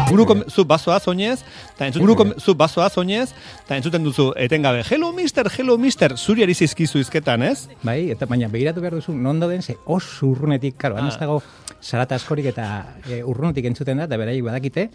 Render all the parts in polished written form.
zu bazoaz oinez, eta entzuten duzu etengabe, hello mister, zuri ari zizkizu izketan, ez? Bai, eta baina begiratu behar duzu, non dauden, ze oso urrunetik, karo, ez dago zarata askorik eta urrunetik entzuten da, eta beraiek badakite,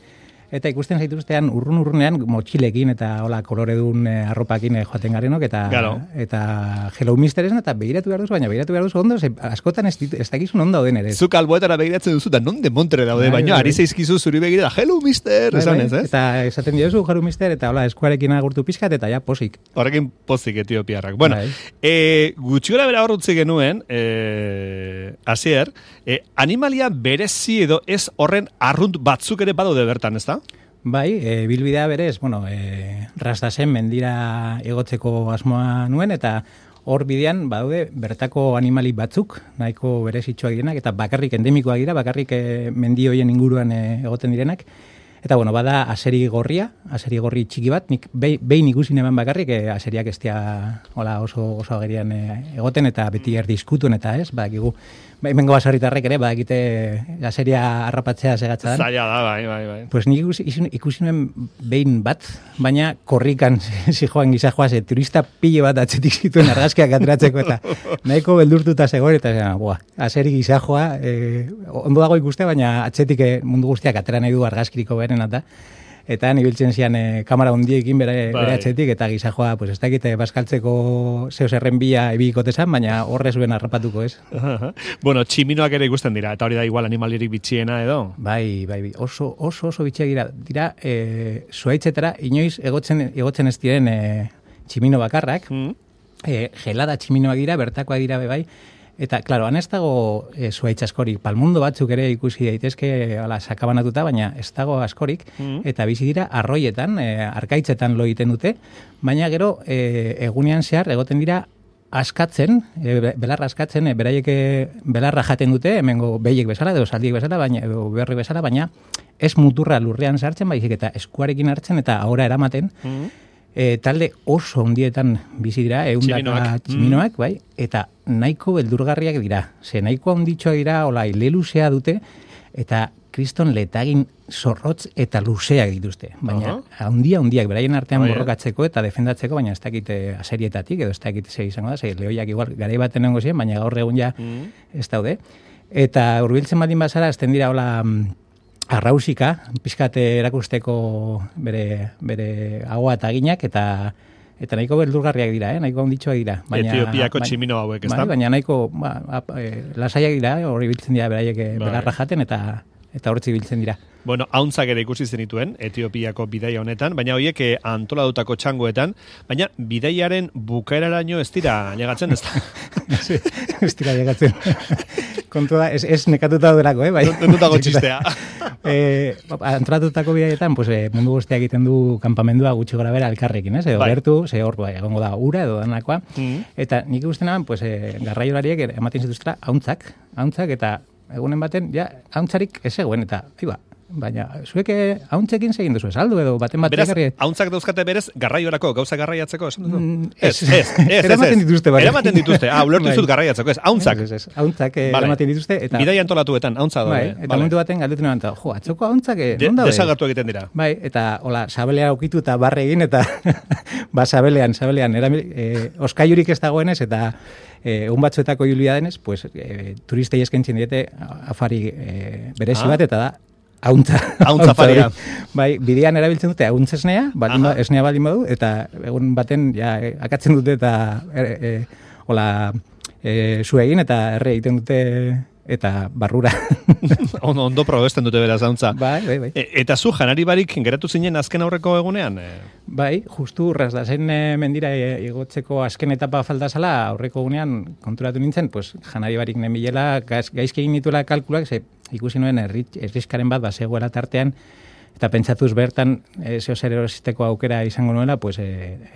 eta ikusten zaituztean urrunean motxilekin eta hola koloredun arropakin joaten garenok eta hello mister esan eta begiratu behar duzu, baina begiratu behar duzu ondo, askotan ez dakizun ondo dauden ere. Zuk alboetara begiratzen duzu, da non de montre daude, baina ari zaizkizu zuri begira, hello mister, esan ez, ez? Eta esaten diozu hello mister, eta hola eskuarekin agurtu pizkat, eta ja posik. Horrekin pozik etiopiarrak. Bueno, gutxi gora bera horretzi genuen, Asier, animalia berezi edo ez horren arrunt batzuk ere badaude bertan, ez da? Bai, bilbidea berez, Rastasen mendira egotzeko asmoa nuen, eta hor bidean badaude bertako animali batzuk, nahiko berezitxoak direnak, eta bakarrik endemikoak dira, bakarrik mendi hoien inguruan egoten direnak. Eta bada aseri gorri txiki bat, nik behin ikusin eman bakarrik, aseriak ez dira oso agerian egoten, eta beti erdiskutun eta ez, badakigu. Hemengo baserritarrek ere, badakite aseria harrapatzea segatza da. Zaila da, bai. Pues nik ikusi nuen behin bat, baina korrikan zijoan gizajoa, turista pile bat atzetik zituen argazkiak ateratzeko, eta nahiko beldurtuta zegoen, eta aseri gizajoa, ondo dago ikuste, baina atzetik mundu guztiak atera nahi du argazkiriko beren, eta nibiltzen zian kamera hundiekin bere atzetik, eta gizajoa, ez dakite baskaltzeko zeo zerren bila ebikotezan, baina horre zuen harrapatuko, ez? Bueno, tximinoak ere ikusten dira, eta hori da igual animalirik bitxiena edo? Bai, oso bitxiak dira, zuaitzetara, inoiz egotzen ez diren tximino bakarrak, gelada tximinoak dira, bertakoak dira bai, eta, klaro, han ez dago zuaitz askorik, palmundo batzuk ere ikusi daitezke sakabanatuta, baina ez dago askorik, eta bizi dira arroietan, arkaitzetan lo egiten dute, baina gero egunean zehar egoten dira askatzen, belarra askatzen, beraiek belarra jaten dute, hemengo behiek bezala, edo saldiek bezala, edo berri bezala, baina ez muturra lurrean sartzen, baizik eta eskuarekin hartzen eta ahora eramaten, talde oso ondietan bizi dira, eundaka tximinoak, bai, eta nahiko beldurgarriak dira. Nahiko onditxoak dira, ile luzea dute, eta kriston letagin zorrotz eta luzeak dituzte. Baina, handiak, beraien artean borrokatzeko eta defendatzeko, baina ez dakit aserietatik, edo ez dakit ze izango da, lehoiak igual garai baten nengo ziren, baina gaur egun ja ez daude. Eta hurbiltzen baldin bazara, ezten dira arrausika, pizkate erakusteko bere agua eta ginak, eta nahiko beldurgarriak dira, nahiko onditxoak dira. Etiopiako tximino hauek, ez da? Baina nahiko lasaiak dira, hori biltzen dira beraiek belarra jaten, eta hortzi biltzen dira. Bueno, hauntzak ere ikusi zenituen, Etiopiako bidaia honetan, baina horiek antolatutako txangoetan, baina bidaiaren bukaeraraino ez dira llegatzen, ez da? Ez dira llegatzen. Kontua da, ez nekatuta daudelako, bai? Nekatutako txistea. Antolatutako bidaietan, mundu guztiak egiten du kanpamendua gutxi gora bera elkarrekin, ez? Gertu, hor egongo da ura edo danakoa. Eta nik ikusten naban, garraiolariek ematen zituztela hauntzak, eta egunen baten, hauntzarik ez eguen, eta, baina, zuek hauntzekin segin duzu, esaldu edo baten batek garri... Beraz, hauntzak dauzkate berez garraiorako, gauza garraiatzeko, esan duzu? Ez. Eramaten dituzte, bai. Eramaten dituzte, ulertu zut garraiatzeko, ez, hauntzak. Ez, hauntzak eramaten dituzte, eta... Bidai antolatuetan, hauntza doa. Eta momentu baten galdetu nahan, atzoko hauntzak, non daude? Desagertu egiten dira. Bai, eta, sabelea okitu eta barre egin, eta, sabelean, oskaiurik ez dagoenez, eta... un batzuetako julia denez, turistei eskentzen diete afari berezi bat, eta da hauntza faria. Bai, bidean erabiltzen dute hauntz esnea, esnea baldin badu, eta egun baten akatzen dute eta zu egin eta erre egiten dute eta barrura. Ondo probesten dute beraz hauntza. Bai. Eta zu janari barik geratu zinen azken aurreko egunean? Bai, justu Rastasen mendira igotzeko azken etapa falta zala, aurreko egunean konturatu nintzen, janari barik nenbilela, gaizki egin nituela kalkulak, ikusi nuen erriskaren bat zegoela tartean, eta pentsatuz bertan zeo zer erosisteko aukera izango nuela,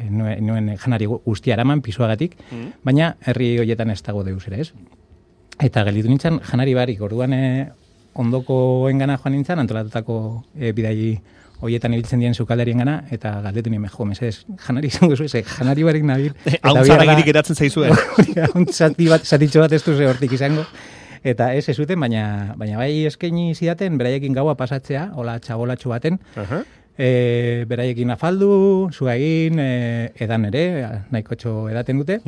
nuen janari guztia eraman pisuagatik, baina herri horietan ez dago deus ere, ez? Eta gelditu nintzen janari barik, orduan ondoko engana joan nintzen, antolatutako bidai horietan ibiltzen dien zukaldarien gana, eta galdetu nien, mesedez, janari izango zuen, janari barik nabil. Hauntzara girik eratzen zaizuen. Hauntz zatitxo bat ez duze hortik izango. Eta ez zuten, baina bai eskaini zidaten, beraiekin gaua pasatzea, hola txabolatxo baten, beraiekin afaldu, zua egin, edan ere, nahikotxo edaten dute,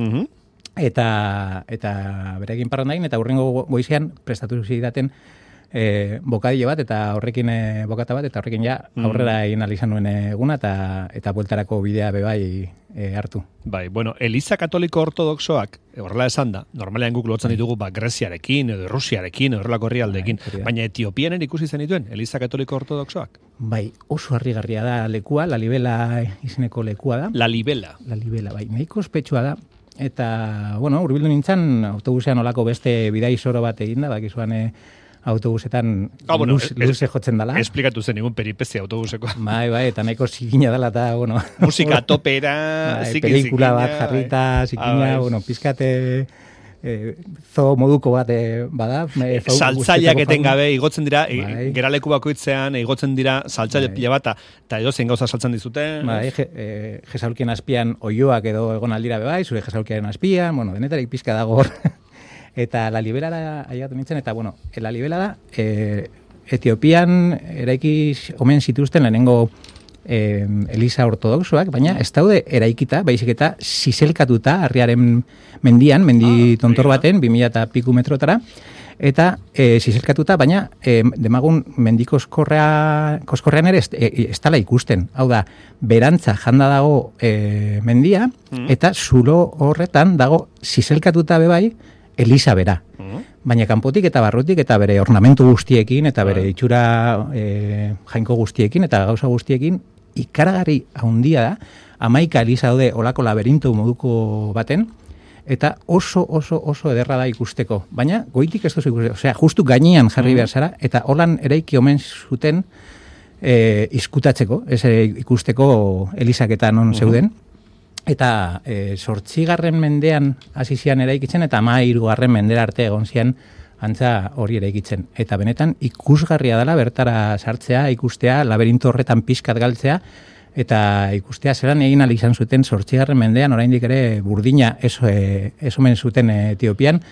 eta beraiekin parrandain, eta hurrengo goizean prestatu zidaten bokadile bat, eta horrekin bokata bat, eta horrekin ja aurrera egin izan nuen eguna, eta bueltarako bidea bebai hartu. Bai, bueno, Eliza Katoliko Ortodoxoak, horrela esan da, normalean guk lotzen ditugu Greziarekin, edo Rusiarekin, edo horrelako herrialdeekin, baina Etiopian ikusi zen dituen, Eliza Katoliko Ortodoxoak? Bai, oso harrigarria da lekua, Lalibela izeneko lekua da. Lalibela, bai, nahiko ospetsua da, eta, bueno, hurbildu nintzen, autobusean olako beste bidai zoro bat eginda, bakizuan autobusetan luze jotzen dela. Esplikatu zen egun peripezia autobuseko. Bai, eta nahiko zikina dela, eta, bueno... Musika topera, pelikula bat jarrita, zikina, bueno, pizkate... zo moduko bat bada. Saltzaileak etengabe, igotzen dira, geraleku bakoitzean, igotzen dira saltzaile pila bat, eta edo zein gauza saltzen dizute. Bai, jesaulkien azpian oioak edo egon aldira bebai, zure jesaulkien azpian, bueno, denetarik pizka dago hor. Eta Lalibela da, aiatu nintzen, eta, bueno, Lalibela da, Etiopian eraiki omen zituzten lehenengo Eliza Ortodoxoak, baina ez daude eraikita, baizik eta zizelkatuta harriaren mendian, mendi tontor baten, 2000 eta piku metrotara, eta zizelkatuta, baina demagun mendikoskorrean ere ez dala ikusten. Hau da, berantza janda dago mendia, eta zulo horretan dago zizelkatuta bebai, Eliza bera. Baina kanpotik eta barrutik eta bere ornamentu guztiekin eta bere itxura jainko guztiekin eta gauza guztiekin ikaragarri handia da. 11 Eliza daude olako laberinto moduko baten eta oso ederra da ikusteko. Baina goitik ez duzu ikusteko. Osea, justu gainean jarri behar zara eta holan eraiki omen zuten izkutatzeko, ez ikusteko Elizak eta non zeuden. Eta 8. mendean hasi zian eraikitzen eta 13. mendera arte egon zian antza hori eraikitzen. Eta benetan ikusgarria dela bertara sartzea, ikustea, laberinto horretan pizkat galtzea, eta ikustea zelan egin ahal izan zuten 8. mendean, oraindik ere burdina ez omen zuten Etiopian,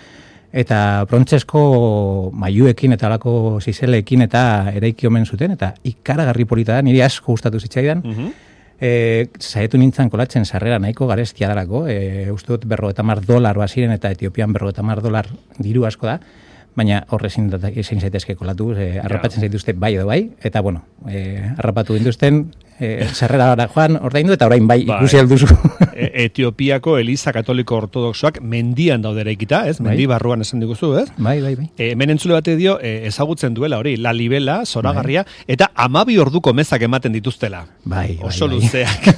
eta brontzesko mailuekin eta alako zizeleekin eta eraiki omen zuten, eta ikaragarri polita da, niri asko gustatu zitzaidan, Zaetu nintzen kolatzen sarrera nahiko garestia darako, uste dut $50 baziren eta Etiopian $50 diru asko da, baina horre ezin zaitezke kolatu, harrapatzen zaituzte bai edo bai, eta bueno, harrapatu dintuzten, sarrera joan ordaindu eta orain bai ikusi alduzu. Etiopiako Eliza Katoliko Ortodoxoak mendian daude eraikita, ez? Mendi barruan esan diguzu, ez? Bai. Hemen entzule bate dio, ezagutzen duela hori, Lalibela, zoragarria, eta 12 orduko mezak ematen dituztela. Bai. Oso luzeak.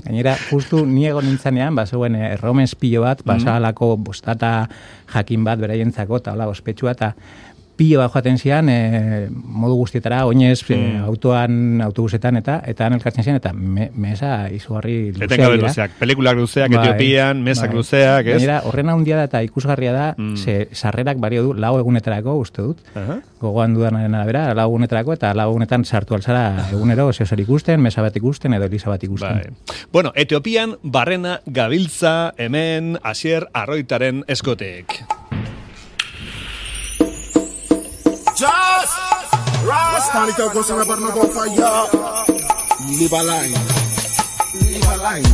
Gainera, justu niego nintzanean, zeuen erromen espillo bat, basalako bostata jakin bat beraientzako, eta hola, ospetsua, eta pilo bat joaten zian, modu guztietara, oinez, autobusetan, eta elkartzen zian, eta mesa izugarri luzeak. Etengabe luzeak, pelikulak luzeak, Etiopian, mesak luzeak, ez? Gainera, horren handia da eta ikusgarria da, sarrerak bario du, 4 egunetarako, uste dut, gogoan dudanaren arabera, 4 egunetarako, eta 4 egunetan sartu alzara egunero, zeozer ikusten, mesa bat ikusten, edo Eliza bat ikusten. Bueno, Etiopian, barrena gabiltza, hemen, Asier Arroitaren eskotek. Just Rasta goes on about no fire. Live a line. Live a line.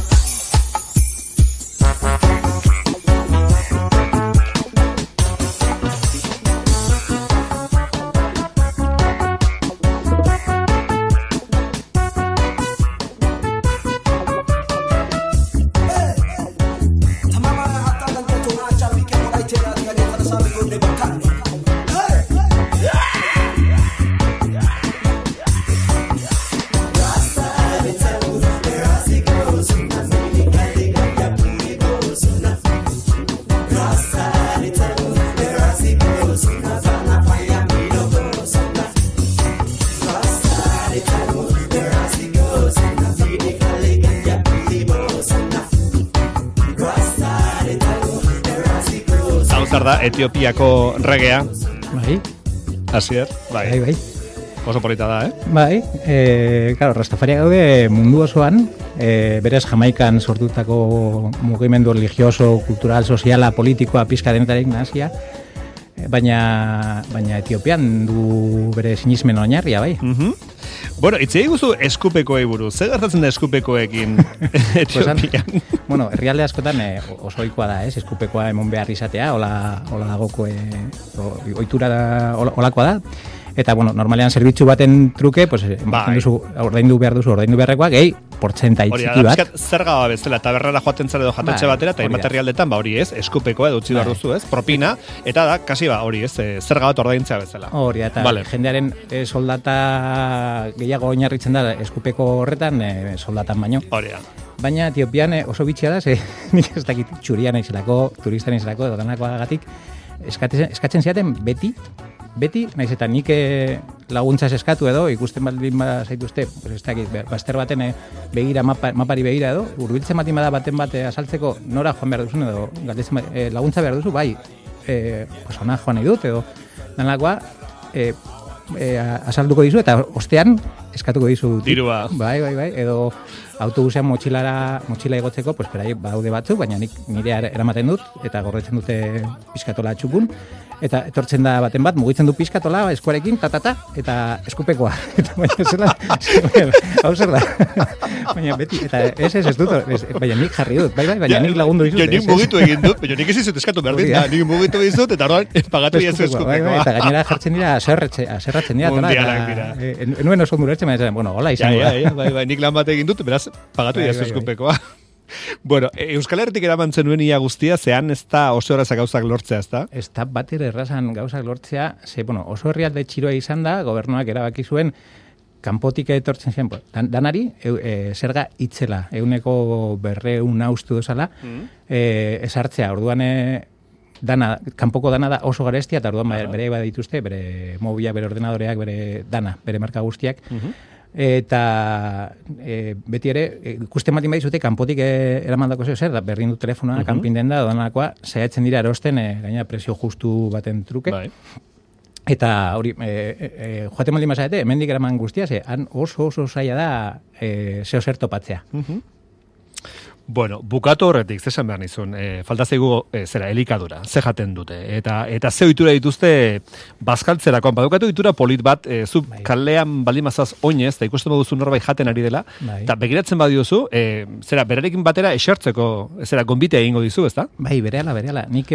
Da Etiopiako regea. Bai. Asier, bai. Oso polita da, Bai, claro, Rastafariak gaude mundu osoan, berez Jamaikan sortutako mugimendu religioso, kultural, soziala, politikoa, pizka denetarik nazia, Baina Etiopian du bere sinismen oinarria, bai. Bueno, itzei guzu eskupekoei buruz. Zer gertatzen da eskupekoekin Etiopian? Bueno, herrialde askotan oso ohikoa da, ez? Eskupekoa emon behar izatea, hola dagoko ohitura da, holakoa da. Eta, bueno, normalean zerbitzu baten truke, pues, ordaindu beharrekoa, gehi, portzentai txiki bat. Zerga bezala, taberrara joaten zara edo jatetxe batera, eta materialdetan, hori ez, eskupekoa edo utzi behar duzu ez, propina, eta da, kasi hori ez, zerga bat ordaintzea bezala. Hori, eta jendearen soldata gehiago oinarritzen da eskupeko horretan, soldatan baino. Hori da. Baina Etiopian oso bitxia da, nik ez dakit txurian aizelako, turistan aizelako, edo danakoagatik, eskatzen ziaten beti, naiz eta nik laguntzaz eskatu edo, ikusten baldin zaituzte, pues ez dakit, bazter baten begira, mapari begira edo, urbiltzen baten bate azaltzeko nora joan behar duzun edo, laguntza behar duzu, bai, pues ona joan nahi dut edo, danakoa, azalduko dizu, eta ostean eskatuko dizu. Dirua. Bai, edo autobusean motxila igotzeko, pues perai baude batzuk, baina nire eramaten dut, eta gorretzen dute pizkatola txukun, eta etortzen da baten bat, mugitzen du pizkatola, eskuarekin, eta eskupekoa. Eta baina zela, hau zer da. Baina beti, eta ez dut, baina nik jarri dut, baina nik lagundu dizut. Nik mugitu egin dut, baina nik ez izut eskatu berdin da, nik mugitu dizut, eta orduan pagatu iazu eskupekoa. Eta gainera jartzen dira, zerratzen dira, enuen oso ondurertzen, baina bueno, hola izango da. Bai, nik lan bat egin dut, beraz, pagatu iazu eskupekoa. Bueno, Euskal Herritik eramantzen nuen ia guztia, zehan ez da oso errazak gauzak lortzea, ez da? Ez da bat errazan gauzak lortzea, oso herrialde txiroa izan da, gobernuak erabaki zuen, kanpotik etortzen zen, danari, zerga itzela, 100 haustu dozala, esartzea, orduan kanpoko dana da oso garestia, eta orduan bere dituzte, bere mobila, bere ordenadoreak, bere marka guztiak, eta beti ere ikusten batin badizute kanpotik eramandako zer da berdin du telefonoa kanpin denda danakoa saiatzen dira erosten gaina presio justu baten truke eta hori joaten baldin bazarete hemendik eraman guztia han oso zaila da zeo zer topatzea. Bueno, bukatu horretik, zesan behar nizun, falta zaigu, elikadura, ze jaten dute, eta ze ohitura dituzte bazkaltzerakoan, badukatu ohitura polit bat, zu kalean baldin mazaz oinez, eta ikusten baduzu norbait jaten ari dela, eta begiratzen badiozu, berarekin batera esertzeko, gonbitea egingo dizu, ezta? Bai, berehala, nik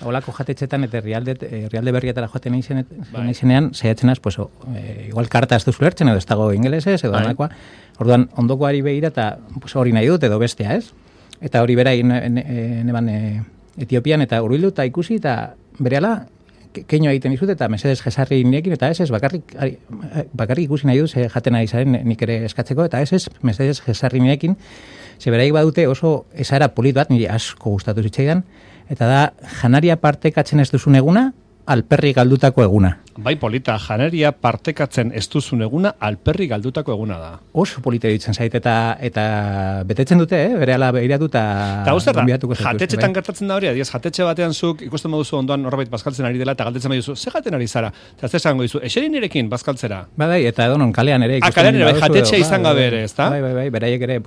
holako jatetxetan eta herrialde berrietara joaten naizenean, saiatzen az, igual karta ez duzu lertzen, edo ez dago ingelesez, edo anakoa, orduan ondokoari begira eta hori nahi dut edo bestea, ez? Eta hori bera neban Etiopian eta urbildu eta ikusi eta berehala keino egiten dizut eta mesedes jesarri niekin eta ez bakarrik ikusi nahi dut jaten ari zaren nik ere eskatzeko eta ez mesedes jesarri niekin ze beraik badute oso esara polit bat niri asko gustatu zitzaidan eta da janaria partekatzen ez duzun eguna alperri galdutako eguna. Bai, polita, janaria partekatzen ez duzun eguna, alperri galdutako eguna da. Oso polita ditzen zait, eta betetzen dute, berehala behiratu eta... Eta guzti da, jatetxetan gertatzen da hori, adiez, jatetxe batean zuk ikusten baduzu ondoan norbait bazkaltzen ari dela, eta galdetzen baduzu, ze jaten ari zara? Eta ez esango dizu, eserin nirekin bazkaltzera? Bai, eta edonon, kalean ere. Kalean ere, jatetxe izan gabe ere, ez da? Bai, beraiek ere,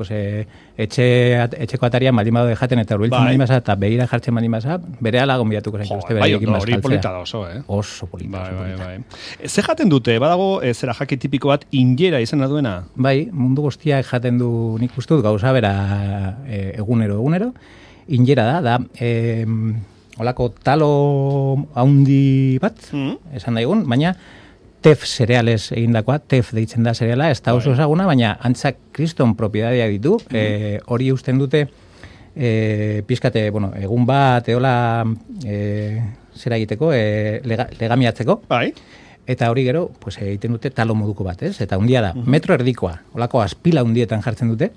etxeko atarian baldin badaude jaten eta urbiltzen baldin baza, eta behira jartzen baldin baza, berehala gonbidatuko zaituzte beraiekin bazkaltzera. Oso polita. Bai. Ze jaten dute, badago zera jaki tipiko bat injera izena duena? Bai, mundu guztiak jaten du nik ustut gauza bera egunero. Injera da holako talo haundi bat, esan daigun, baina tef cereales egindakoa, tef deitzen da cereala, ez da oso ezaguna, baina antzak kriston propiedadiak ditu, hori usten dute pizkate, egun bat, eola zera egiteko, legamiatzeko. Bai. Eta hori gero, egiten dute talo moduko bat, ez? Eta hundia da, metro erdikoa, holako azpila hundietan jartzen dute.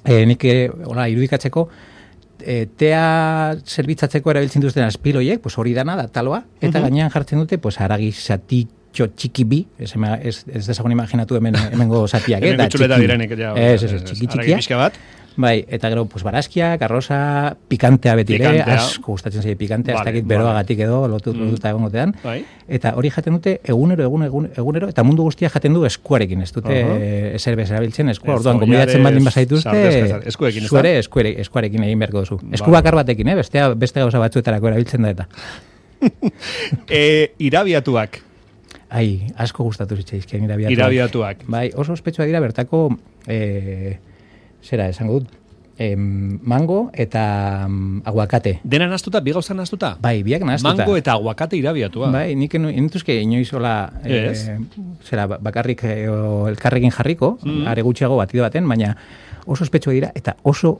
Nik irudikatzeko, tea zerbitzatzeko erabiltzen duzten azpiloiek, hori dana da taloa, eta gainean jartzen dute, haragi zatitxo txiki bi, ez dezagun imaginatu hemengo zatiak, hemen bitxuleta direnik, txiki-txikia. Bai, eta gero, barazkiak, arroza, pikantea beti ere, asko gustatzen zaie pikantea, ez dakit beroagatik edo, lotuta egongotean. Eta hori jaten dute egunero, eta mundu guztia jaten du eskuarekin, ez dute ezer bezerabiltzen eskua, orduan gomidatzen baldin bazaituzte, zuere eskuarekin egin beharko duzu. Esku bakar batekin, beste gauza batzuetarako erabiltzen da eta. Irabiatuak. Ai, asko gustatu zitzaizkien irabiatuak. Irabiatuak. Bai, oso ospetsua dira bertako, zera, esango dut, mango eta aguakate. Dena nastuta, bi gauza nastuta? Bai, biak nastuta. Mango eta aguakate irabiatua. Bai, nik enituzke inoiz hola, zera, bakarrik elkarrekin jarriko, are gutxiago batido baten, baina oso ospetsua dira, eta oso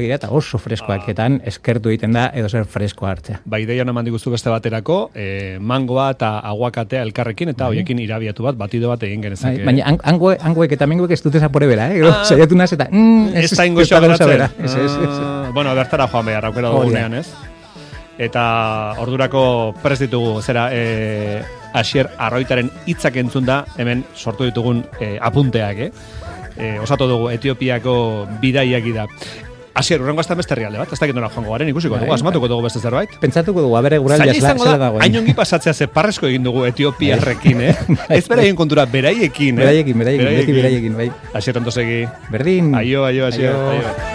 dira, eta oso freskoaketan eskertu egiten da, edo zer freskoa hartzea. Ba, ideia naman diguztu beste baterako, mangoa eta aguakatea elkarrekin, eta hoiekin irabiatu bat, batido bat egin genezake. Baina angoek eta mengoek ez dute zapore bera, saiatu naz, eta ez da ingoxoa beratzen. Bueno, bertara joan behar, aukera dugunean, ez? Eta ordurako prest ditugu, zera, Asier Arroitaren hitzak entzun da, hemen sortu ditugun apunteak, osatu dugu Etiopiako bidaiak da. Asier, urrengo azten beste herrialde bat, ez dakit nola joango garen, ikusiko dugu, asmatuko dugu beste zerbait. Pentsatuko dugu, abere guraldia zela dagoen. Hain ongi pasatzea ze parresko egin dugu Etiopiarrekin, Ez beraien kontura, beraiekin, Beraiekin, bai. Asier, ondo segi. Berdin. Aio, Asier, aio.